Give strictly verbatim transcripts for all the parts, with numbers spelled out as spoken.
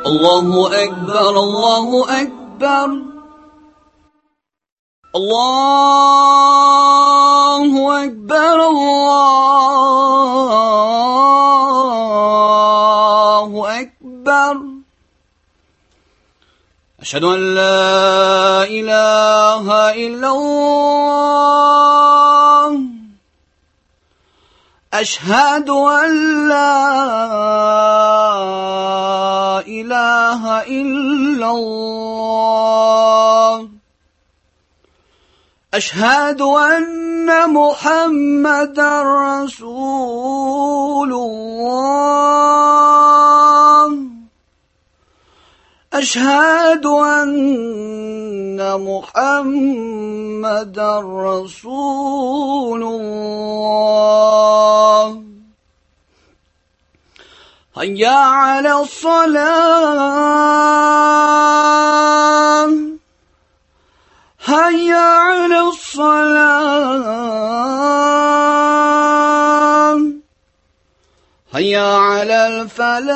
الله أكبر الله أكبر الله أكبر الله أكبر أشهد أن لا إله إلا الله أشهد أن لا إله إلا الله أشهد أن محمدا رسول الله أشهد أن محمدا رسول الله هيا على الصلاة هيا على الصلاة هيا على الفلاح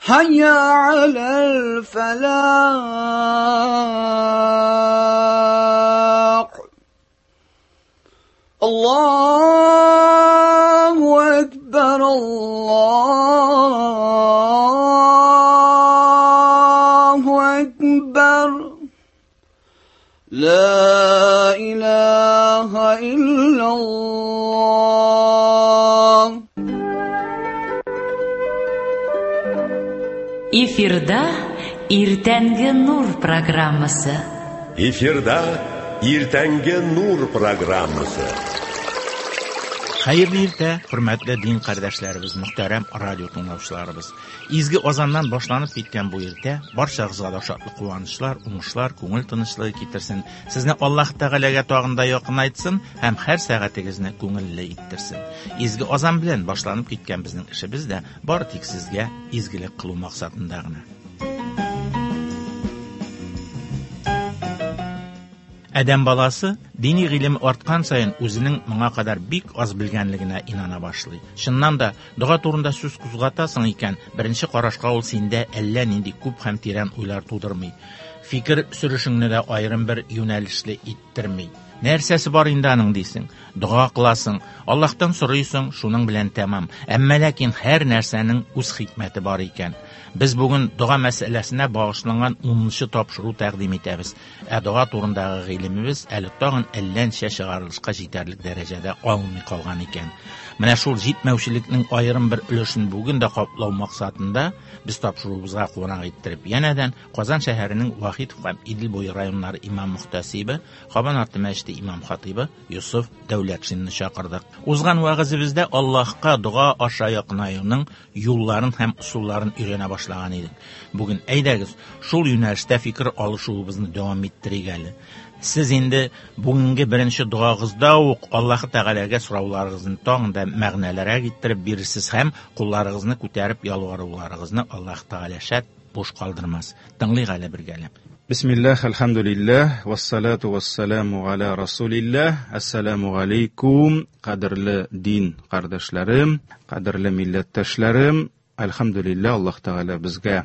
هيا على الفلاح الله أكبر الله أكبر لا إله إلا الله. Эфирда Иртәнге Нур программасы. Эфирда Иртәнге Нур программасы. Хәерле иртә, хөрмәтле дин кардәшләребез, мөхтәрәм радио тыңлаучыларыбыз. Изге азаннан башланып киткән бу иртә барчагызга да шатлык, куанычлар, уңышлар, күңел тынычлыгы китерсен. Сезне Аллаһ Тәгаләгә тагын да якынайтсын һәм һәр сәгатегезне күңелле иттерсен. Изге азан белән башланып киткән безнең эшебез дә бары тик сезгә изгелек кылу максатында гына. Адәм баласы дини гыйлем арткан саен үзенең моңа кадәр бик аз белгәнлегенә инана башлый. Чыннан да, дога турында сүз кузгатасың икән, беренче карашка ул синдә әллә нинди күп һәм тирән уйлар тудырмый. Фикер сүрешеңне дә аерым бер юнәлешле иттерми. Нәрсәсе бар инде аның дисең? Дога кыласың, Аллаһтан сорыйсың, шуның белән тәмам. Әмма ләкин һәр нәрсәнең үз хикмәте бар икән. Без бүген дога мәсьәләсенә багышланган унынчы тапшыру тәкъдим итәбез. Ә дога турындагы гыйлемебез әле тагын әллә ничә чыгарылышка җитәрлек дәрәҗәдә алынмый калган икән. Менә шул җитмәүчелекнең аерым бер өлешен бүген дә каплау максатында без тапшыруыбызга кунак иттереп, янәдән Казан шәһәренең Вахитов һәм Идел буе районнары имам мөхтәсибе, Кабан арты мәчете имам хатибы Йосыф Дәүләтшинны чакырдык. Узган вәгазебездә Аллаһка дога аша якынаюның юлларын һәм ысулларын өйрәнә башлаган идек. Бүген әйдәгез, шул юнәлештә фикер алышуыбызны дәвам иттерик әле. Сез инде бүгенге беренче догагызда ук Аллаһ Тәгаләгә сорауларыгызны тагын да мәгънәлерәк иттереп бирерсез һәм кулларыгызны күтәреп ялваруларыгызны Аллаһ Тәгалә шәт буш калдырмас. Тыңлыйк әле бергәләп. Бисмиллах, әлхәмдүлилләһ, вассалату вассаламу аля расулилләһ. Ассаламу алейкум, кадерле дин кардәшләрем, кадерле милләттәшләрем. Әлхәмдүлилләһ, Аллаһ Тәгалә безгә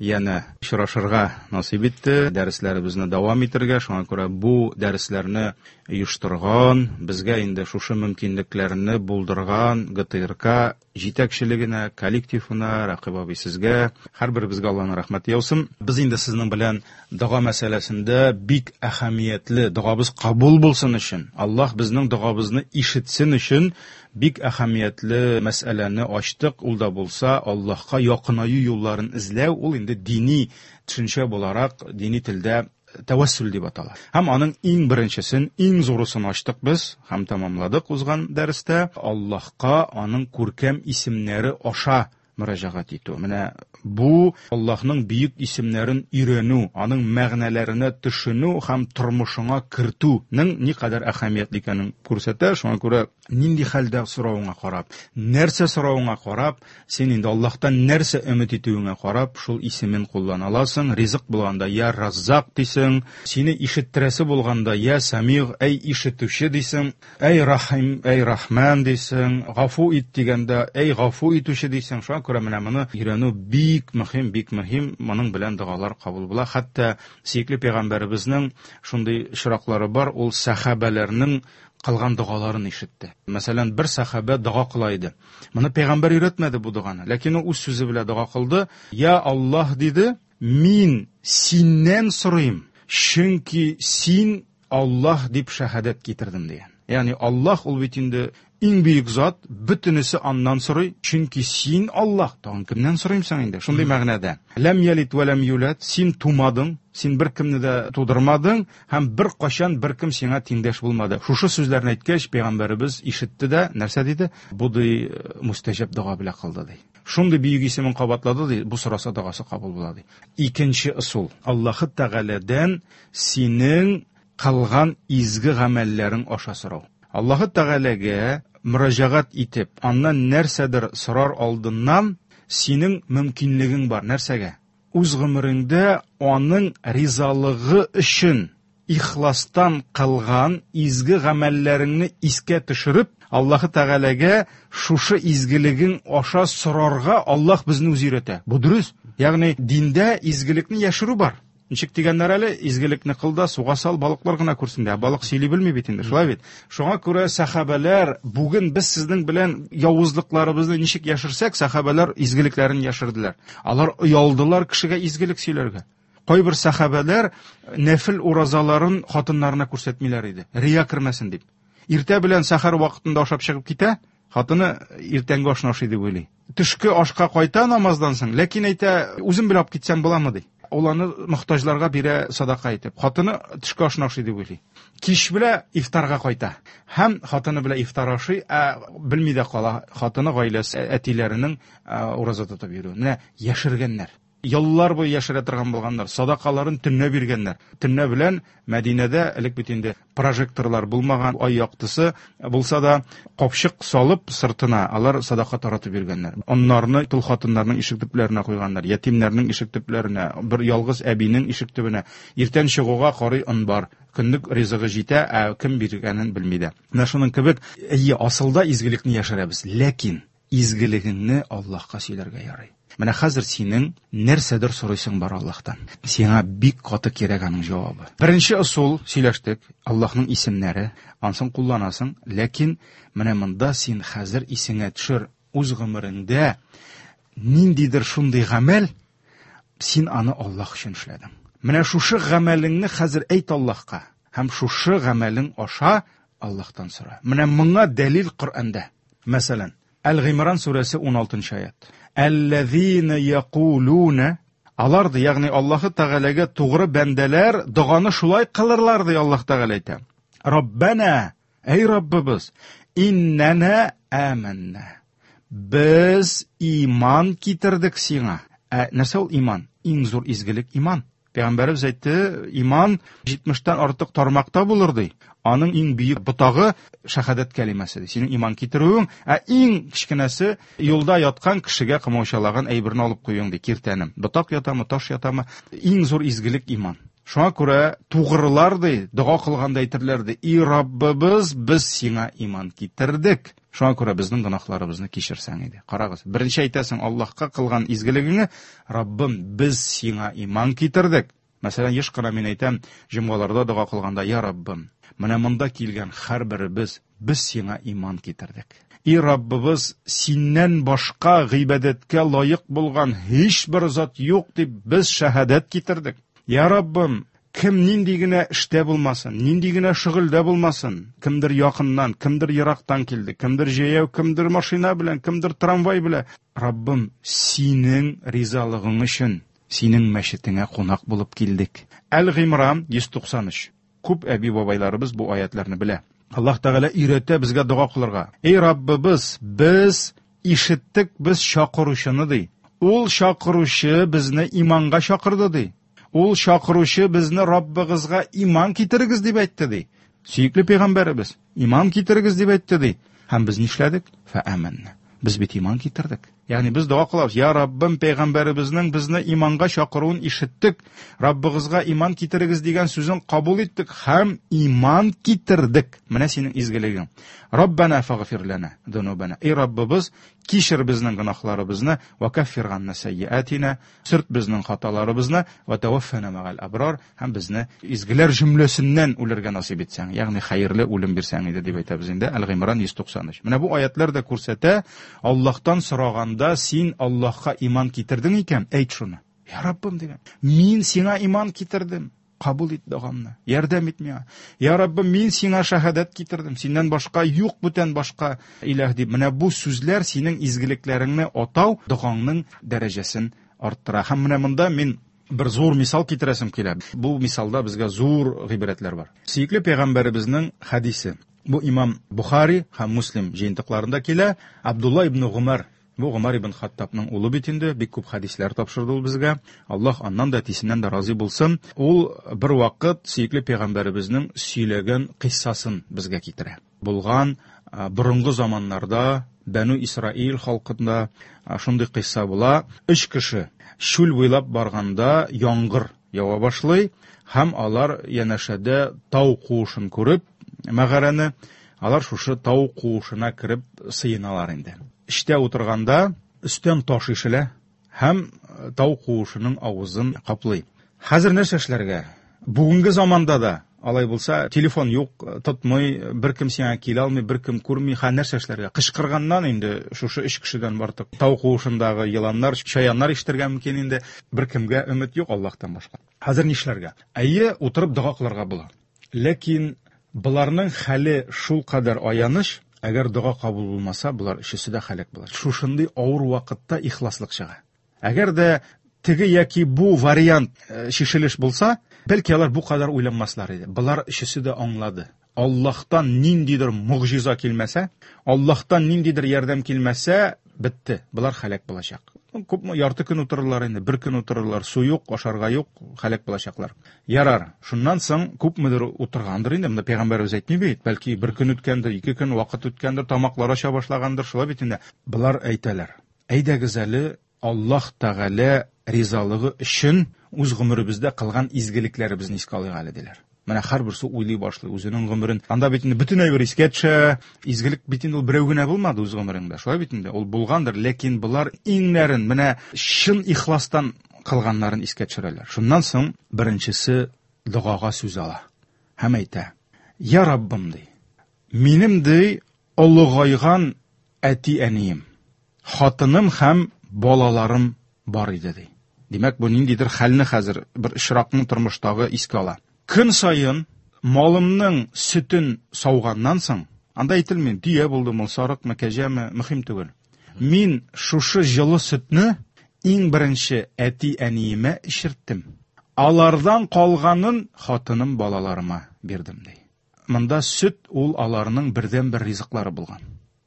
янә очрашырга насыйп итте, дәресләребезне дәвам итәргә. Шуңа күрә бу дәресләрне оештырган, безгә инде шушы мөмкинлекләрне булдырган Г Т Р К җитәкчелегенә, коллективына, Рәкыйп абый сезгә, һәрберебезгә Аллаһның рәхмәте яусын. Без инде сезнең белән дога мәсьәләсендә бик әһәмиятле, догабыз кабул булсын өчен, Аллаһ безнең догабызны ишетсен өчен бик әһәмиятле мәсьәләне ачтык. Ул да булса Аллаһка якынаю юлларын эзләү, ул инде дини төшенчә буларак, дини телдә тәвәссүл дип атала. Һәм аның иң беренчесен, иң зурысын ачтык без һәм тәмамладык узган дәрестә. Аллаһка аның күркәм исемнәре аша мөрәҗәгать итү. Менә бу Аллаһның бөек исемнәрен өйрәнү, аның мәгънәләренә төшенү һәм тормышыңа кертүнең никадәр әһәмиятле икәнен күрсәтә. Шуңа күрә Нинди хәлдә соравыңа карап, нәрсә соравыңа карап, син инде Аллаһтан нәрсә өмет итүеңә карап, шул исемен куллана аласың. Ризык булганда я Раззак дисең, сине ишеттерәсе булганда я Самиг, әй ишетүче дисең, әй Рахим, әй Рахман дисең, гафу ит дигәндә әй гафу итүче дисең. Шуңа күрә менә моны өйрәнү бик мөһим, бик мөһим. Моның белән догалар кабул була. Хәтта сөекле пәйгамбәребезнең шундый очраклары бар, ул сәхабәләрнең кылган догаларын ишетте. Мәсәлән, бер сәхабә дога кыла иде. Моны пәйгамбәр өйрәтмәде бу доганы, ләкин ул үз сүзе белән дога кылды. Я Аллаһ диде, мин синнән сорыйм, чөнки син Аллаһ дип шәһадәт китердем дигән. Ягъни Аллаһ ул бит инде иң бөек зат, бөтенесе аннан сорый, чөнки син Аллаһ, тагын кемнән сорыймсың инде? Шундый мәгънәдә. Ләм ялид ва ләм юлад, син тумадың, син бер кемне дә тудырмадың һәм бер кашан бер кем сиңа тиңдәш булмады. Шушы сүзләрне әйткәч, пәйгамбәребез ишетте дә, нәрсә диде? Бу ди мустәҗаб дога белән кылды ди. Шундый бөек исемен кабатлады ди, бу сораса догасы кабул була ди. Икенче ысул, Аллаһ Тәгаләдән синең кылган изге гамәлләрең аша сорау. Аллаһ Тәгаләгә мөрәҗәгать итеп, аннан нәрсәдер сорар алдыннан синең мөмкинлегең бар. Нәрсәгә? Үз гомереңдә аның ризалыгы өчен ихластан кылган изге гамәлләреңне искә төшереп, Аллаһ Тәгаләгә шушы изгелегең аша сорарга Аллаһ безне үзе өйрәтә. Бу дөрес. Ягъни диндә изгелекне яшерү бар. Ничек дигәннәр әле, изгелекне кыл да суга сал, балыклар гына күрсен дә. Балык сөйли белми бит инде, шулай бит. Шуңа күрә сәхабәләр, бүген без сезнең белән явызлыкларыбызны ничек яшерсәк, сәхабәләр изгелекләрен яшерделәр. Алар оялдылар кешегә изгелек сөйләргә. Кайбер сәхабәләр нәфил уразаларын хатыннарына күрсәтмиләр иде, рия кермәсен дип. Иртә белән сәхәр вакытында ашап чыгып китә, хатыны иртәнге ашны ашый дип уйлый. Төшке ашка кайта намаздан соң, ләкин әйтә, үзем белән алып китсәм буламы ди. Ул аны мохтаҗларга бирә садака итеп. Хатыны төшке ашны ашый дип уйлый. Кич белә ифтарга кайта. Һәм хатыны белән ифтар ашый, ә белми дә кала хатыны гаиләсе әтиләренең ураза тотып йөрүен. Менә яшергәннәр. Еллар буе яшерә торган булганнар, садакаларын төнлә биргәннәр. Төнлә белән Мәдинәдә элек бит инде прожекторлар булмаган, ай яктысы булса да капчык салып сыртына алар садака таратып биргәннәр. Оннарны тол хатыннарның ишек төпләренә куйганнар, ятимнәрнең ишек төпләренә, бер ялгыз әбинең ишек төбенә. Иртән чыгуга карый он бар, көнлек ризыгы җитә, ә кем биргәнен белми дә. Менә шуның кебек, әйе, асылда изгелекне яшерәбез, ләкин изгелегеңне Аллаһка сөйләргә ярый. Менә хәзер синең нәрсәдер сорыйсың бар Аллаһтан. Сиңа бик каты кирәк аның җавабы. Беренче ысул сөйләштек, Аллаһның исемнәре, ансын кулланасың, ләкин менә монда син хәзер исеңә төшер, үз гомереңдә ниндидер шундый гамәл, син аны Аллаһ өчен эшләдең. Менә шушы гамәлеңне хәзер әйт Аллаһка һәм шушы гамәлең аша Аллаһтан сора. Менә моңа дәлил Коръәндә. Мәсәлән, Әл-Гыймран сүрәсе ун алтынчы аят. Әлләзина якулуна, алар ди, ягъни Аллаһ Тәгаләгә тугры бәндәләр доганы шулай кылырлар ди Аллаһ Тәгалә әйтә. Раббана, эй Раббыбыз, иннана аманна. Без иман китердек сиңа. Ә нәрсә ул иман? Иң зур изгелек иман. Пәйгамбәребез әйтте, иман җитмештән артык тармакта булыр ди. Аның иң бөек ботагы шәһадәт кәлимәсе ди. Синең иман китерүең, ә иң кечкенәсе юлда яткан кешегә комачаулаган әйберне алып куюың ди, киртәне. Ботак ятамы, таш ятамы, иң зур изгелек иман. Шуңа күрә тугрылар ди, дога кылганда әйтерләр ди, и Раббыбыз, без сиңа иман китердек. Шуңа күрә безнең гөнаһларыбызны кичерсәң иде. Карагыз, беренче әйтәсең Аллаһка кылган изгелегеңне, Раббым, без сиңа иман китердек. Мәсәлән, еш кына мин әйтәм, җомгаларда дога кылганда, я Раббым, менә монда килгән һәрберебез, без сиңа иман китердек. И Раббыбыз, синнән башка гыйбадәткә лаек булган һичбер зат юк дип без шәһадәт китердек. Я Раббым, кем нинди генә эштә булмасын, нинди генә шөгыльдә булмасын, кемдер якыннан, кемдер ерактан килде, кемдер җәяү, кемдер машина белән, кемдер трамвай белән. Раббым, синең ризалыгың өчен, синең мәчетеңә кунак булып килдек. Әл-Гыймран йөз туксан өч. Күп әби-бабайларыбыз бу аятларны белә. Аллаһ Тәгалә өйрәтә безгә дога кылырга. Эй Раббыбыз, без ишеттек без чакыручыны ди. Ул чакыручы безне иманга чакырды ди. Ул чакыручы безне Раббыгызга иман китерегез дип әйтте ди. Сөекле пәйгамбәребез, иман китерегез дип әйтте ди. Һәм без нишләдек? Фәаманна. Без бит иман китердек. Ягъни без дога кылабыз. Я Раббым, пәйгамбәребезнең безне иманга чакыруын ишеттек. Раббыгызга иман китерегез дигән сүзен кабул иттек һәм иман китердек. Менә синең изгелегең. Раббана фагфир лана дунубана. Эй Раббыбыз, кичер безнең гөнаһларыбызны, ва каффир ганна сайyiатина, сөрт безнең хаталарыбызны, ва таваффана мәгал абрар, һәм безне изгеләр җөмләсеннән үләргә насыйп итсәң, ягъни хәерле үлем бирсәң иде дип әйтәбез инде. Әл-Гыймран йөз туксан өч. Менә бу аятлар да күрсәтә, Аллаһтан сораганда син Аллаһка иман китердең икән, әйт шуны. Я Раббым дигән, мин сиңа иман китердем. Кабул ит догамны, ярдәм ит миңа. Я Раббым, мин сиңа шаһадәт китердем. Синнән башка юк бүтән башка илаһ дип. Менә бу сүзләр синең изгелекләреңне атау догаңның дәрәҗәсен арттыра. Һәм менә монда мин бер зур мисал китерәсем килә. Бу мисалда безгә зур гыйбрәтләр бар. Сөекле пәйгамбәребезнең хадисе. Бу имам Бухари һәм Муслим җыентыкларында килә. Абдулла ибн Гумар, бу Гумар ибн Хаттабның улы бит инде, бик күп хадисләр тапшырды ул безгә. Аллаһ аннан да әтисеннән дә разый булсын. Ул бер вакыт сөекле пәйгамбәребезнең сөйләгән кыйссасын безгә китерә. Булган борынгы заманнарда Бәну Исраил халкында шундый кыйсса була. Өч кеше чүл буйлап барганда яңгыр ява башлый һәм алар янәшәдә тау куышын күреп, мәгарәне, алар шушы тау куышына кереп сыеналар инде. Эштә утырганда өстән таш ишелә һәм тау куышының авызын каплый. Хәзер нәрсә эшләргә? Бүгенге заманда да алай булса, телефон юк, тотмый, бер кем сиңа килә алмый, бер кем күрми, ха нәрсә эшләргә? Кычкырганнан инде шушы өч кешедән бартык тау куышындагы еланнар, чаяннар ишетергә мөмкин инде. Бер кемгә өмет юк Аллаһтан башка. Хәзер нишләргә? Әйе, утырып дога кылырга була. Ләкин буларның хәле шул кадәр аяныч, әгәр дога кабул булмаса, булар өчесе дә һәлак булар. Шушындый авыр вакытта ихласлык чыга. Әгәр дә теге яки бу вариант шешелеш булса, бәлки алар бу кадәр уйланмаслар иде. Булар өчесе дә аңлады. Аллаһтан ниндидер могҗиза килмәсә, Аллаһтан ниндидер ярдәм килмәсә, бетте. Булар һәлак булачак. Күпме ярты көн утырырлар инде, бер көн утырырлар, су юк, ашарга юк, һәлак булачаклар. Ярар, шуннан соң күпмедер утыргандыр инде, монда пәйгамбәребез әйтми бит, бәлки бер көн үткәндер, ике көн вакыт үткәндер, тамаклар ача башлагандыр, шулай бит инде. Булар әйтәләр: әйдәгез әле Аллаһ Тәгалә ризалыгы өчен үз гомеребездә кылган изгелекләребезне искә алыйк әле, диләр. Менә һәрберсе уйлый башлый үзенең гомерен. Анда бит инде бөтен әйбер искә төшә. Изгелек бит инде ул берәү генә булмады үз гомереңдә. Шулай бит инде, ул булгандыр, ләкин булар иңнәрен менә чын ихластан кылганнарын искә төшерәләр. Шуннан соң беренчесе догага сүз ала һәм әйтә: Я Раббым, ди, минем, ди, олыгайган әти-әнием, хатыным һәм балаларым бар иде, ди. Димәк, бу ниндидер хәлне хәзер бер очракның тормыштагы искә ала. Көн саен малымның сөтен сауганнан соң, анда әйтелми, дөя булдымы, сарыкмы, кәҗәме, мөһим түгел. Мин шушы җылы сөтне иң беренче әти-әниемә эчерттем. Алардан калганын хатыным, балаларыма бирдем, ди. Монда сөт ул аларның бердән-бер ризыклары булган.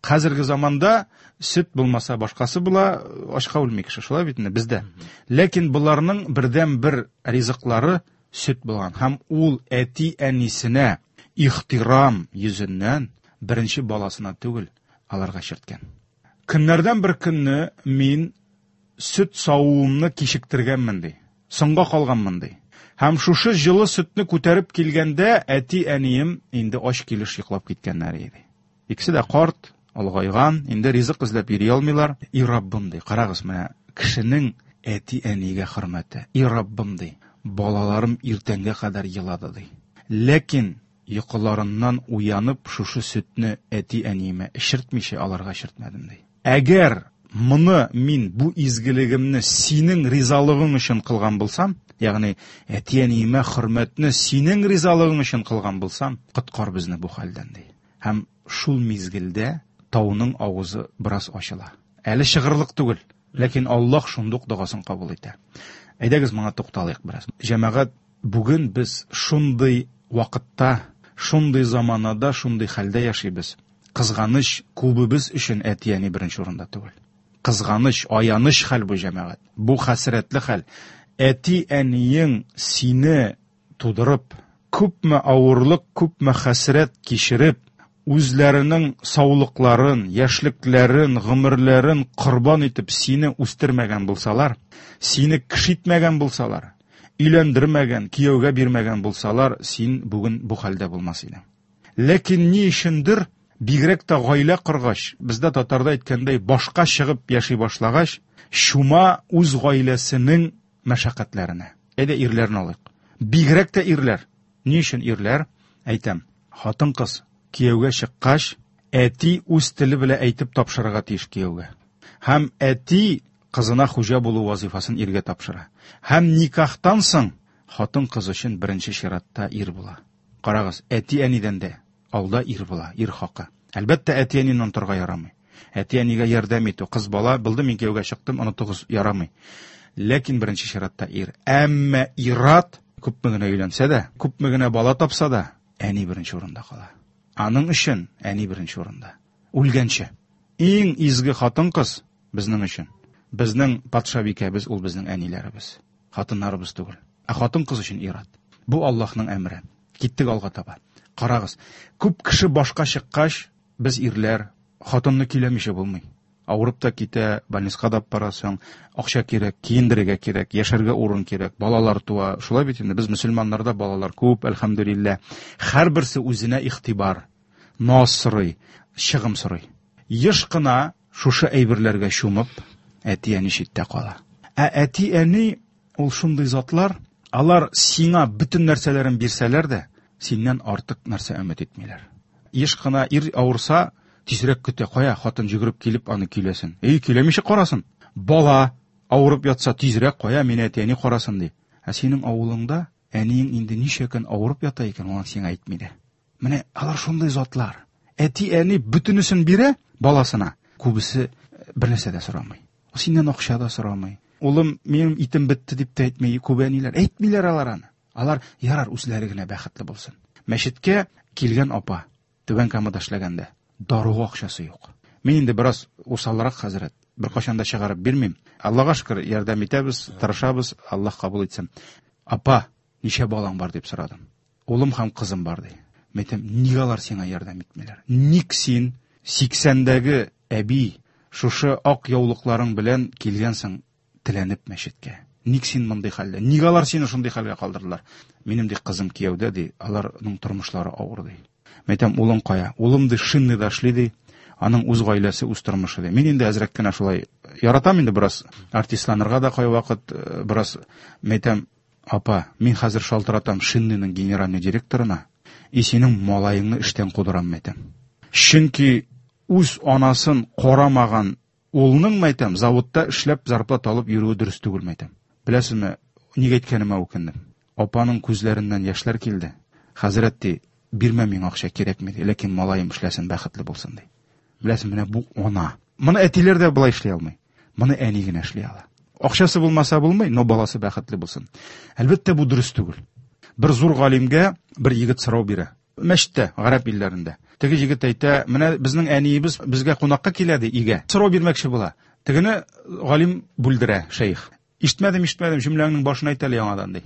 Хәзерге заманда сөт булмаса башкасы була, ашка үлми кеше, шулай бит инде бездә. Ләкин буларның бердән-бер ризыклары сөт булган һәм ул әти-әнисенә ихтирам йөзеннән беренче баласына түгел, аларга чирткән. Көннәрдән бер көнне мин сөт савуымны кичектергәнмен, ди. Соңга калганмын, ди. Һәм шушы җылы сөтне күтәреп килгәндә әти-әнием инде ач килеш йоклап киткәннәр иде. Икесе дә карт, олыгайган, инде ризык эзләп йөри алмыйлар. И Раббым, ди, карагыз, менә кешенең әти-әнигә хөрмәте. И Раббым, ди, балаларым иртәнгә кадәр елады, ди. Ләкин йокыларыннан уянып шушы сөтне әти-әниемә эчертмичә аларга эчертмәдем, ди. Әгәр моны мин бу изгелегемне синең ризалыгың өчен кылган булсам, ягъни әти-әниемә хөрмәтне синең ризалыгың өчен кылган булсам, коткар безне бу хәлдән, ди. Һәм шул мизгелдә тауның авызы бераз ачыла. Әле чыгырлык түгел, ләкин Аллаһ шундук догасын кабул итә. Әйдәгез моңа тукталыйк бераз. Җәмәгать, бүген без шундый вакытта, шундый заманада, шундый хәлдә яшибез. Кызганыч, күбебез өчен әти-әни беренче урында түгел. Кызганыч, аяныч хәл бу, җәмәгать. Бу хәсрәтле хәл. Әти-әниең сине тудырып, күпме авырлык, күпме хәсрәт кичереп, үзләренең саулыкларын, яшьлекләрен, гомерләрен корбан итеп сине үстермәгән булсалар, сине кеше итмәгән булсалар, өйләндермәгән, кияүгә бирмәгән булсалар, син бүген бу хәлдә булмас идең. Ләкин ни өчендер, бигрәк тә гаилә коргач, бездә татарда әйткәндәй, башка чыгып яши башлагач, чума үз гаиләсенең мәшәкатьләренә. Әйдә ирләрне алыйк. Бигрәк тә ирләр. Ни өчен ирләр? Әйтәм, хатын-кыз кияүгә чыккач, әти үз теле белән әйтеп тапшырырга тиеш кияүгә. Һәм әти кызына хуҗа булу вазифасын иргә тапшыра. Һәм никахтан соң хатын-кыз өчен беренче чиратта ир була. Карагыз, әти-әнидән дә алда ир була, ир хакы. Әлбәттә, әти-әнине онытырга ярамый. Әти-әнигә ярдәм итү, кыз бала, булды, мин кияүгә чыктым, онытыгыз, ярамый. Ләкин беренче чиратта ир. Әмма ир-ат күпме генә өйләнсә дә, күпме генә бала тапса да, әни беренче урында кала. Аның өчен әни беренче урында. Үлгәнче. Иң изге хатын-кыз безнең өчен. Безнең патшабикәбез ул безнең әниләребез. Хатыннарыбыз түгел. Ә хатын-кыз өчен ир-ат. Бу Аллаһның әмере. Киттек алга таба. Карагыз, күп кеше башка чыккач, без ирләр хатынны көйләмичә булмый. Авырып та китә, больницага да барасың, акча кирәк, киендерергә кирәк, яшәргә урын кирәк, балалар туа. Шулай бит инде, без мөселманнарда балалар күп, әлхәмдүлилләһ. Һәрберсе үзенә игътибар, наз сорый, чыгым сорый. Еш кына шушы әйберләргә чумып, әти-әни читтә кала. Ә әти-әни ул шундый затлар, алар сиңа бөтен нәрсәләрен бирсәләр дә, синнән артык нәрсә өмет итмиләр. Еш кына ир авырса, тизрәк көтә, кая хатын йөгереп килеп аны көйләсен. Эй, көйләмичә карасын. Бала авырып ятса, тизрәк кая мине әти-әни карасын ди. Ә синең авылыңда әниең инде ничә көн авырып ята икән, аны сиңа әйтми дә. Менә алар шундый затлар. Әти-әни бөтенесен бирә баласына. Күбесе бер нәрсә дә сорамый. Синнән акча да сорамый. Улым, минем итем бетте дип тә әйтми, күп әниләр. Әйтмиләр алар аны. Алар ярар үзләре генә бәхетле булсын. Мәчеткә килгән апа Түбән Камада эшләгәндә даруга акчасы юк. Мин инде бераз усалрак хәзрәт, беркайчан да чыгарып бирмим. Аллаһка шөкер, ярдәм итәбез, тырышабыз, Аллаһ кабул итсен. Апа, ничә балаң бар дип сорадым. Улым һәм кызым бар ди. Мин әйтәм, нигә алар сиңа ярдәм итмиләр? Ник син сиксәндәге әби шушы ак яулыкларың белән килгәнсең теләнеп мәчеткә? Ник син мондый хәлдә? Нигә алар сине шундый хәлгә калдырдылар? Минем ди кызым кияүдә ди, аларның тормышлары авыр ди. Мин әйтәм, улың кая? Улым ди шинныйда эшли ди. Аның үз гаиләсе, үз тормышы ди. Мин инде әзрәк кенә шулай яратам инде бераз артистланырга да кайвакыт, бераз мин әйтәм, апа, мин хәзер шалтыратам шинныйның генеральный директорына, и синең малаеңны эштән кудырам, мин әйтәм. Чөнки үз анасын карамаган улның, мин әйтәм, заводта эшләп зарплата алып йөрүе дөрес түгел, мин әйтәм. Беләсезме, нигә әйткәнемә үкендем. Апаның күзләреннән яшьләр килде. Хәзрәт ди, бирмә миңа акча кирәкми ди, ләкин малаем эшләсен, бәхетле булсын ди. Беләсең, менә бу ана. Моны әтиләр дә болай эшли алмый. Моны әни генә эшли ала. Акчасы булмаса булмый, но баласы бәхетле булсын. Әлбәттә, бу дөрес түгел. Бер зур галимгә бер егет сорау бирә. Мәчеттә, гарәп илләрендә. Теге егет әйтә, менә безнең әниебез безгә кунакка килә ди, өйгә. Сорау бирмәкче була. Тегене галим бүлдерә, шәех. Ишетмәдем, ишетмәдем, җөмләңнең башын әйт әле яңадан ди.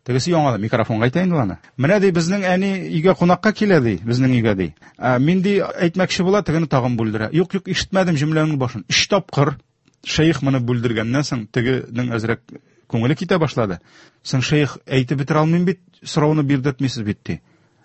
Тегесе яңадан микрофонга әйтә инде аны. Менә ди, безнең әни өйгә кунакка килә ди, безнең өйгә ди. Ә, мин ди әйтмәкче була, тегене тагын бүлдерә. Юк, юк, ишетмәдем җөмләңнең башын. Өч тапкыр шәех моны бүлдергәннән соң тегенең әзрәк күңеле китә башлады. Соң шәех әйтеп бетерә алмыйм бит, сорауны бирдертмисез бит ди.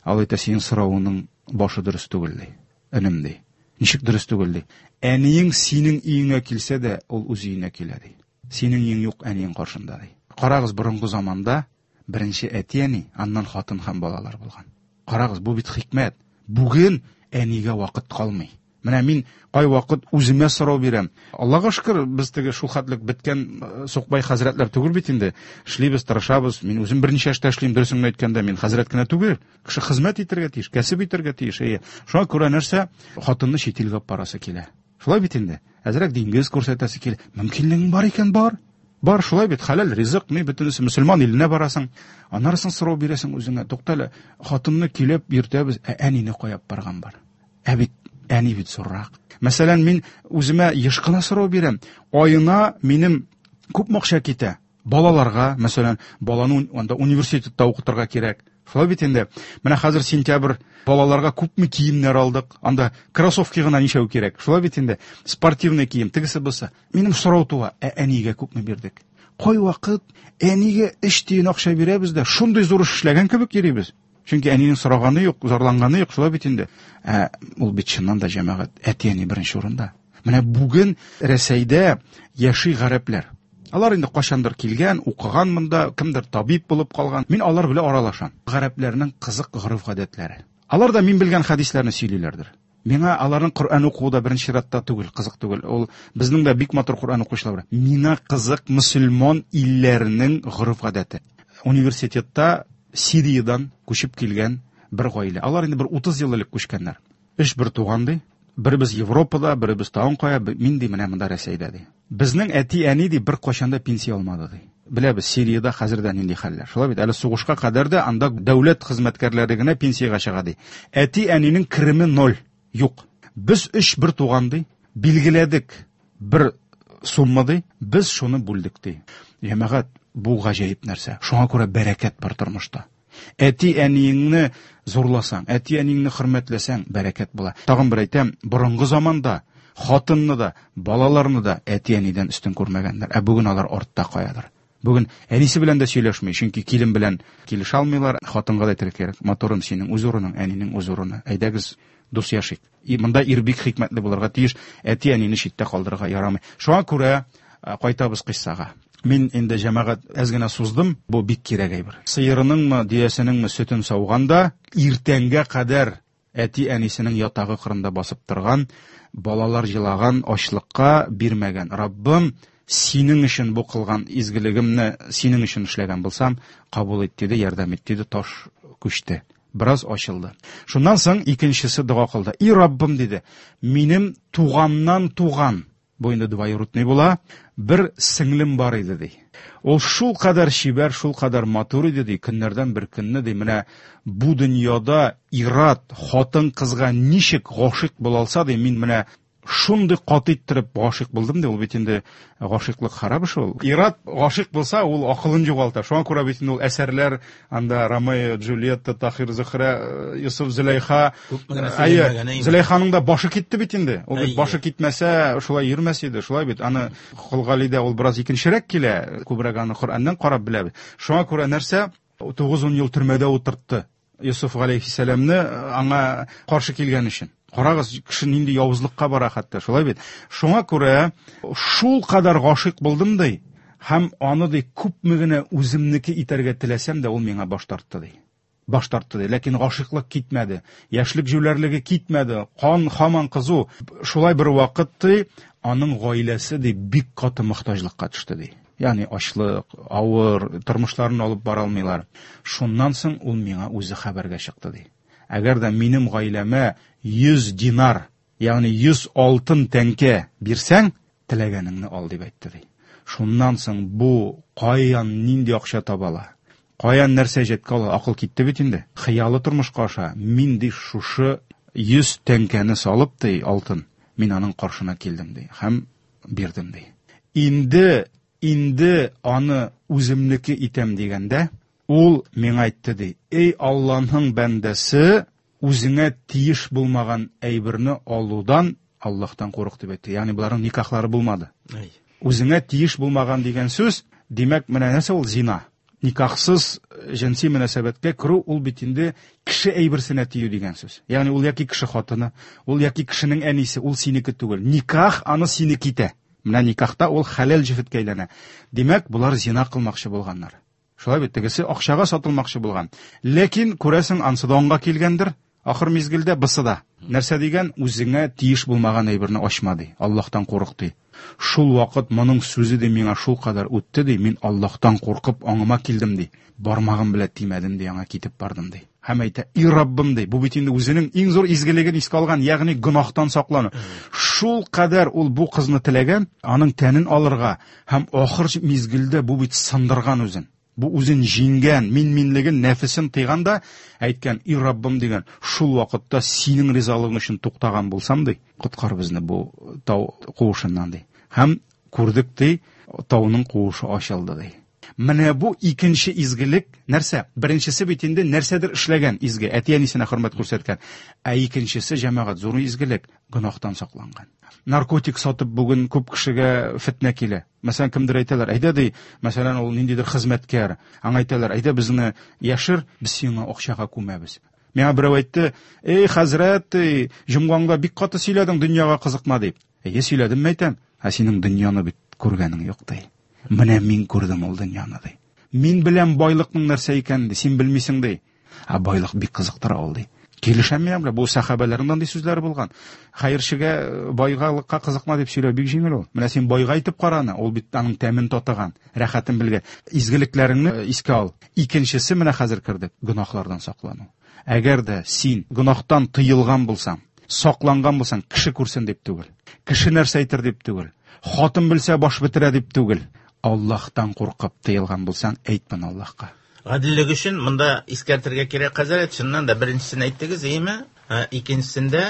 Ал әйтә, синең соравыңның башы дөрес түгел ди. Энем ди. Ничек дөрес түгел ди? Әниең синең өеңә килсә дә, ул үз өенә килә ди. Синең өең юк әниең каршында ди. Карагыз, борынгы заманда беренче әти-әни, аннан хатын һәм балалар булган. Карагыз, бу бит хикмәт. Бүген әнигә вакыт калмый. Менә мин кайвакыт үземә сорау бирәм. Аллаһка шөкер, без теге шул хәтлек беткән сукбай хәзрәтләр түгел бит инде. Эшлибез, тырышабыз. Мин үзем берничә эштә эшлим, дөресен әйткәндә, мин хәзрәт кенә түгел. Кеше хезмәт итәргә тиеш, кәсеп итәргә тиеш. Әйе. Шуңа күрә нәрсә? Хатынны чит илгә алып барасы килә. Шулай бит инде. Әзрәк диңгез күрсәтәсе килә. Мөмкинлегең бар икән, бар. Бар, шулай бит, хәләл ризык, ни бөтенесе мөселман иленә барасың. Аннары соң сорау бирәсең үзеңә. Туктале, хатынны килеп йөртәбез, ә әнине кая барган бар? Ә бит әни бит зуррак. Мәсәлән, мин үземә еш кына сорау бирәм. Аена минем күпме акча китә? Балаларга, мәсәлән, баланы анда университетта укытырга кирәк. Шулай бит инде. Менә хәзер сентябрь, балаларга күпме киемнәр алдык. Анда кроссовки гына ничәү кирәк. Шулай бит инде. Спортивный кием, тегесе булса. Минем сорау туа, ә әнигә күпме бирдек? Кай вакыт әнигә өч тиен акча бирәбез дә, шундый зур эш эшләгән кебек йөрибез. Чөнки әнинең сораганы юк, зарланганы юк, шулай бит инде. Ә ул бит чыннан да җәмәгать, әти-әни беренче урында. Менә бүген Рәсәйдә яши гарәпләр. Алар инде кайчандыр килгән, укыган монда, кемдер табиб булып калган. Мин алар белән аралашам. Гарәпләрнең кызык гореф-гадәтләре. Алар да мин белгән хәдисләрне сөйлиләрдер. Миңа аларның Коръән укуы да беренче чиратта түгел, кызык түгел. Ул безнең дә бик матур Коръән укучылар бар. Миңа кызык мөселман илләренең гореф-гадәте. Университетта Сириядән күчеп килгән бер гаилә. Алар инде бер утыз ел элек күчкәннәр. Өч бер туган ди. Беребез Европада, беребез тагын кая, мин ди менә монда Рәсәйдә ди. Безнең әти-әни ди бер кайчан да пенсия алмады ди. Беләбез, Сириядә хәзер дә нинди хәлләр. Шулай бит, әле сугышка кадәр дә анда дәүләт хезмәткәрләре генә пенсиягә чыга ди. Әти-әнинең кереме ноль, юк. Без өч бер туган ди, билгеләдек бер сумма ди, без шуны бүлдек ди. Җәмәгать, бу гаҗәеп нәрсә. Шуңа күрә бәрәкәт бар тормышта. Әти-әниеңне зурласаң, әти-әниеңне хөрмәтләсәң, бәрәкәт була. Тагын бер әйтәм, борынгы заманда хатынны да, балаларны да әти-әнидән өстен күрмәгәннәр. Ә бүген алар артта каядыр. Бүген әнисе белән дә сөйләшми, чөнки килен белән килешә алмыйлар. Хатынга да әйтергә кирәк, матурым, синең үз урының, әнинең үз урыны. Әйдәгез, дус яшик. И монда ир бик хикмәтле булырга тиеш, әти-әнине читтә калдырырга ярамый. Шуңа күрә кайтабыз кыйссага. Мин инде җәмәгать әз генә суздым, бу бик кирәк әйбер. Сыерыныңмы, дөясенеңме сөтен сауганда, иртәнгә кадәр әти-әнисенең ятагы кырында басып торган, балалар җылаган, ачлыкка бирмәгән. Раббым, синең өчен бу кылган изгелегемне синең өчен эшләгән булсам, кабул ит диде, ярдәм ит диде, таш күчте. Бераз ачылды. Шуннан соң икенчесе дога кылды. И Раббым диде, минем туганнан туган, бу инде двоюродный була, бер сеңлем бар иде ди. Ул шул кадәр чибәр, шул кадәр матур иде ди, көннәрдән бер көнне ди, менә бу дөньяда ират хатын кызга ничек гашыйк була алса ди, мин менә шундый каты иттереп гашыйк булдым ди. Ул бит инде гашыйклык харап эш ул. Ират гашыйк булса, ул акылын югалта. Шуңа күрә бит инде ул әсәрләр анда Ромео, Джульетта, Тахир, Зөһрә, Йосыф, Зөләйха. Әйе, Зөләйханың да башы китте бит инде. Ул бит башы китмәсә, шулай йөрмәс иде. Шулай бит. Аны Кол Галидә ул бераз икенчерәк килә, күбрәк аны Коръәннән карап беләбез. Шуңа күрә нәрсә? Тугыз-ун ел төрмәдә утыртты Йосыф галәйһиссәламне аңа каршы килгән өчен. Карагыз, кеше нинди явызлыкка бара хәтта, шулай бит. Шуңа күрә шул кадәр гашыйк булдым ди, һәм аны ди күпме генә үземнеке итәргә теләсәм дә, ул миңа баш тартты ди. Баш тартты ди, ләкин гашыйклык китмәде, яшьлек җүләрлеге китмәде, кан һаман кызу. Шулай бер вакыт ди, аның гаиләсе ди бик каты мохтаҗлыкка төште ди. Ягъни ачлык, авыр тормышларын алып бара алмыйлар. Шуннан соң ул миңа үзе хәбәргә чыкты ди. Әгәр дә минем гаиләмә йөз динар, ягъни йөз алтын тәңкә бирсәң, теләгәнеңне ал дип әйтте ди. Шуннан соң бу каян нинди акча таба ала? Каян нәрсә җиткә ала? Акыл китте бит инде. Хыялы тормышка аша. Мин ди шушы йөз тәңкәне салып ди алтын, мин аның каршына килдем ди һәм бирдем ди. Инде инде аны үземнеке итәм дигәндә, ул миңа әйтте ди: Эй Аллаһның бәндәсе, үзеңә тиеш булмаган әйберне алудан Аллаһтан курык дип әйтте. Ягъни буларның никахлары булмады. Үзеңә тиеш булмаган дигән сүз, димәк, менә нәрсә ул зина. Никахсыз җенси мөнәсәбәткә керү ул бит инде кеше әйберсенә тию дигән сүз. Ягъни ул яки кеше хатыны, ул яки кешенең әнисе, ул синеке түгел. Никах аны синеке итә. Менә никахта ул хәләл җефеткә әйләнә. Димәк, булар зина кылмакчы булганнар. Шулай бит, тегесе акчага сатылмакчы булган. Ләкин күрәсең, ансы да аңга килгәндер. Ахыр мизгелдә бысы да. Нәрсә дигән? Үзеңә тиеш булмаган әйберне ачма ди. Аллаһтан курык ди. Шул вакыт моның сүзе ди миңа шул кадәр үтте ди. Мин Аллаһтан куркып аңыма килдем ди. Бармагым белән тимәдем ди, аңа китеп бардым ди. Һәм әйтә: "И Раббым" ди. Бу бит инде үзенең иң зур изгелеген искә алган, ягъни гөнаһтан саклану. Шул кадәр ул бу кызны теләгән, аның тәнен алырга һәм ахыр мизгелдә бу бит сындырган үзен. Бу үзен җиңгән, мин-минлеген, нәфесен тыйган да әйткән: "И Раббым" дигән, шул вакытта синең ризалыгың өчен туктаган булсам ди, коткар безне бу тау куышыннан ди. Һәм күрдек ди, тауның куышы ачылды ди. Менә бу икенче изгелек нәрсә? Беренчесе бит инде нәрсәдер эшләгән изге, әти-әнисенә хөрмәт күрсәткән. Ә икенчесе, җәмәгать, зур изгелек, гөнаһтан сакланган. Наркотик сатып бүген күп кешегә фетнә килә. Мәсәлән, кемдер әйтәләр, әйдә ди, мәсәлән, ул ниндидер хезмәткәр. Аңа әйтәләр, әйдә безне яшер, без сиңа акчага күмәбез. Миңа берәү әйтте, эй, хәзрәт, эй, җомгаңда бик каты сөйләдең, дөньяга кызыкма дип. Әйе, сөйләдем, әйтәм. Ә синең дөньяны бит күргәнең юк ди. Менә мин күрдем ул дөньяны ди. Мин беләм байлыкның нәрсә икәнен ди, син белмисең ди. Ә байлык бик кызыктыра ул ди. Килешәм мин белән, бу сәхабәләрнең андый сүзләре булган. Хәерчегә байлыкка кызыкма дип сөйләү бик җиңел ул. Менә син байга әйтеп караны, ул бит аның тәмен татыган, рәхәтен белгән. Изгелекләреңне искә ал. Икенчесе менә хәзер кердек, гөнаһлардан саклану. Әгәр дә син гөнаһтан тыелган булсаң, сакланган булсаң, кеше күрсен дип түгел, кеше нәрсә әйтер дип түгел, хатын белсә баш бетерә дип түгел, Аллаһтан куркып тыелган булсаң, әйт моны Аллаһка. Гаделлек өчен монда искәртергә кирәк, хәзрәт, чыннан да беренчесен әйттегез, әйеме? Икенчесендә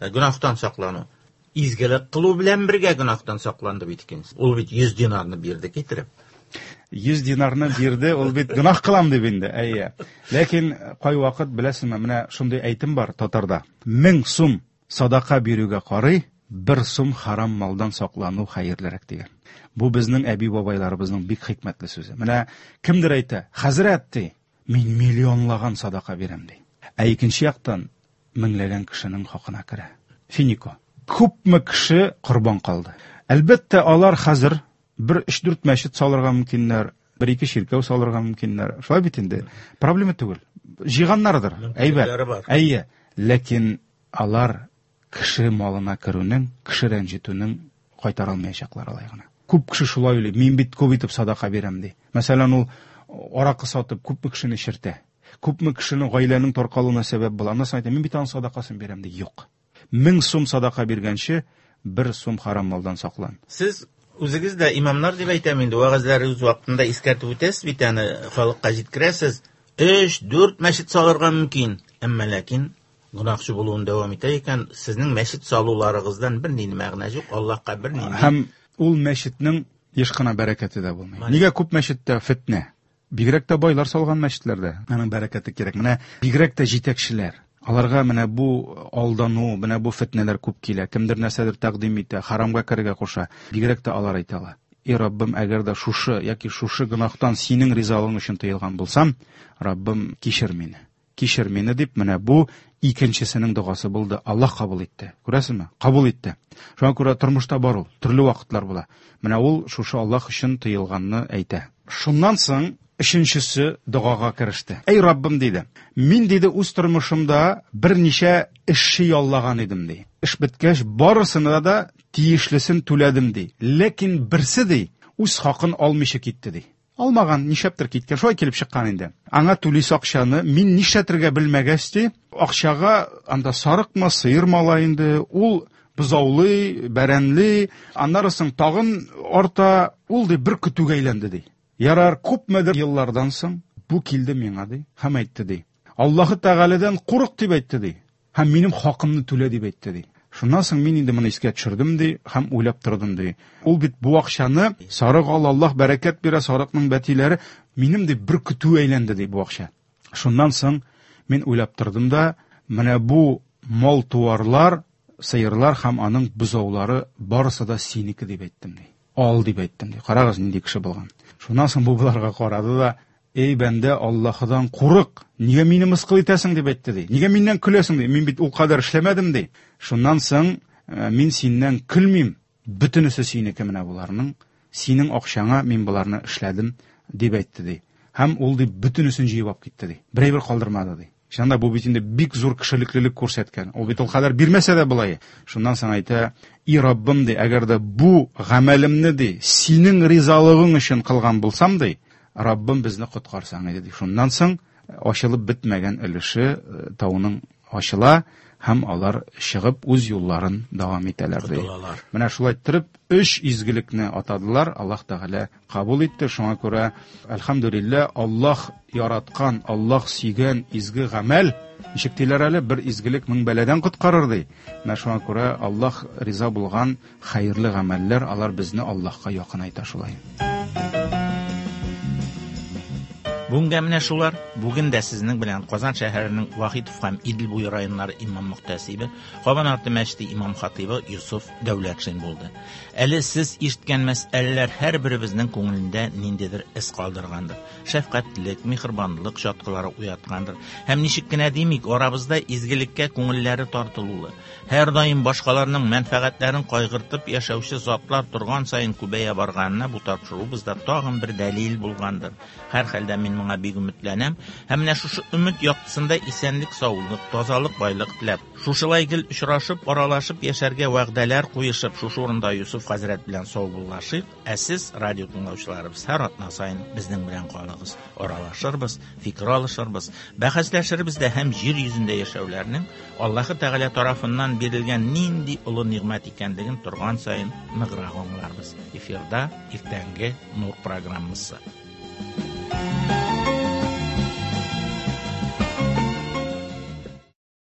гөнаһтан саклану. Изгелек кылу белән бергә гөнаһтан сакланды бит икенчесе. Ул бит йөз динарны бирде китереп. Йөз динарны бирде, ул бит гөнаһ кылам дип инде, әйе. Ләкин кайвакыт беләсезме, менә шундый әйтем бар татарда. Мең сум садака бирүгә карый, бер сум харам малдан саклану хәерлерәк дигән. Бу безнең әби-бабайларыбызның бик хикмәтле сүзе. Менә кемдер әйтә, хәзрәт ди, мин миллионлаган садака бирәм ди. Ә икенче яктан меңләгән кешенең хакына керә. Финико. Күпме кеше корбан калды. Әлбәттә, алар хәзер бер өч-дүрт мәчет салырга мөмкиннәр, бер-ике чиркәү салырга мөмкиннәр. Шулай бит инде. Проблема түгел. Җыйганнардыр, әйбәт. Мөмкинлекләре бар. Әйе, ләкин алар кеше малына керүнең, кеше рәнҗетүнең кайтара алмаячаклар алай гына. Күп кеше шулай уйлый, мин бит күп итеп садака бирәм ди. Мәсәлән, ул аракы сатып күпме кешене чиртә, күпме кешенең гаиләнең таркалуына сәбәп була. Аннан соң әйтә, мин бит аның садакасын бирәм ди. Юк. Мең сум садака биргәнче, бер сум харам малдан саклан. Сез үзегез дә имамнар дип әйтәм инде, вәгазьләрегез вакытында искәртеп үтәсез бит аны, халыкка җиткерәсез. Өч, дүрт мәчет салырга мөмкин, әмма ләкин гөнаһчы булуын дәвам итә икән, сезнең мәчет салуларыгыздан бер нинди мәгънә юк, Аллаһка бер нинди. Һәм ул мәчетнең еш кына бәрәкәте дә булмый. Мәне. Нигә күп мәчеттә фитнә? Бигрәк тә байлар салган мәчетләрдә аның бәрәкәте кирәк. Менә бигрәк тә җитәкчеләр. Аларга менә бу алдану, менә бу фитнәләр күп килә. Кемдер нәрсәдер тәкъдим итә, харамга керергә куша. Бигрәк тә алар әйтә ала. Эй Раббым, әгәр дә шушы яки шушы гөнаһтан синең ризалыгың өчен тыелган булсам, Раббым, кичер мине. Кичер мине дип, менә бу икенчесенең догасы булды. Аллаһ кабул итте. Күрәсезме? Кабул итте. Шуңа күрә тормышта бар ул, төрле вакытлар була. Менә ул шушы Аллаһ өчен тыелганны әйтә. Шуннан соң өченчесе догага кереште. Эй Раббым, диде. Мин, диде, үз тормышымда берничә эшче яллаган идем, ди. Эш беткәч, барысына да тиешлесен түләдем, ди. Ләкин берсе, ди, үз хакын алмыйча китте, ди. Алмаган, нишләптер киткән, шулай килеп чыккан инде. Аңа түлисе акчаны мин нишләтергә белмәгәч, ди, акчага анда сарыкмы, сыермы ала инде, ул бозаулый, бәрәнли, аннары соң тагын арта, ул, ди, бер көтүгә әйләнде, ди. Ярар, күпмедер еллардан соң бу килде миңа, ди, һәм әйтте, ди. Аллаһы Тәгаләдән курык дип әйтте, ди. Һәм минем хакымны түлә дип әйтте, ди. Шуннан соң мин инде моны искә төшердем, ди, һәм уйлап тордым, ди. Ул бит бу акчаны сарык ал, Аллаһ бәрәкәт бирә, сарыкның бәтиләре минем, ди, бер көтү әйләнде, ди, бу акча. Шуннан соң мин уйлап тордым да, менә бу мал-туарлар, сыерлар һәм аның бозаулары барысы да синеке дип әйттем, ди. Ал дип әйттем, ди. Карагыз, нинди кеше булган. Шуннан соң бу боларга карады да, эй бәндә, Аллаһыдан курык, нигә мине мыскыл итәсең дип әйтте, ди. Нигә миннән көләсең, ди. Мин бит ул кадәр эшләмәдем, ди. Шуннан соң, э, мин синнән көлмим, бөтенесе синеке менә боларның, синең акчаңа мин боларны эшләдем дип әйтте, ди. Һәм ул, ди, бөтенесен җыеп алып китте, ди. Бер әйбер калдырмады, ди. Чыннан да бу бит инде бик зур кешелеклелек күрсәткән. Ул бит ул кадәр бирмәсә дә болай. Шуннан соң әйтә, и Раббым, ди, әгәр дә бу гамәлемне, ди, синең ризалыгың өчен кылган булсам, ди, Раббым безне коткарсаң иде, ди. Шуннан соң ачылып бетмәгән өлеше, э, тауның ачыла һәм алар чыгып үз юлларын дәвам итәләр, ди. Котылалар. Менә шулай иттереп өч изгелекне атадылар, Аллаһ Тәгалә кабул итте. Шуңа күрә, әлхәмдүлилләһ, Аллаһ яраткан, Аллаһ сөйгән изге гамәл, ничек диләр әле, бер изгелек мең бәладән коткарыр, ди. Менә шуңа күрә Аллаһ риза булган хәерле гамәлләр, алар безне Аллаһка якынайта шулай. Бүгенгә менә шулар. Бүген дә сезнең белән Казан шәһәренең Вахитов һәм Идел буе районнары имам мөхтәсибе, Кабан арты мәчете имам хатыйбы Йосыф Дәүләтшин булды. Әле сез ишеткән мәсьәләләр һәрберебезнең күңелендә ниндидер эз калдыргандыр. Шәфкатьлек, миһербанлык чаткылары уяткандыр. Һәм ничек кенә димик, арабызда изгелеккә күңелләре тартылулы, һәр даим башкаларның мәнфәгатьләрен кайгыртып яшәүче затлар торган саен күбәя барганына бу тапшыруыбызда тагын бер дәлил булгандыр. Һәрхәлдә мин моңа бик өметләнәм һәм менә шушы өмет яктысында исәнлек, саулык, тазалык, байлык теләп, шушылай гел очрашып, аралашып яшәргә вәгъдәләр куешып, шушы урында Йосыф хәзрәт белән саубуллашыйк. Ә сез, радио тыңлаучыларыбыз, һәр атна саен безнең белән калыгыз. Аралашырбыз, фикер алышырбыз, бәхәсләшербез дә һәм җир йөзендә яшәүләрнең Аллаһы Тәгалә тарафыннан бирелгән нинди олы нигъмәт икәнлеген торган саен ныграк аңларбыз. Эфирда иртәнге Нур программасы.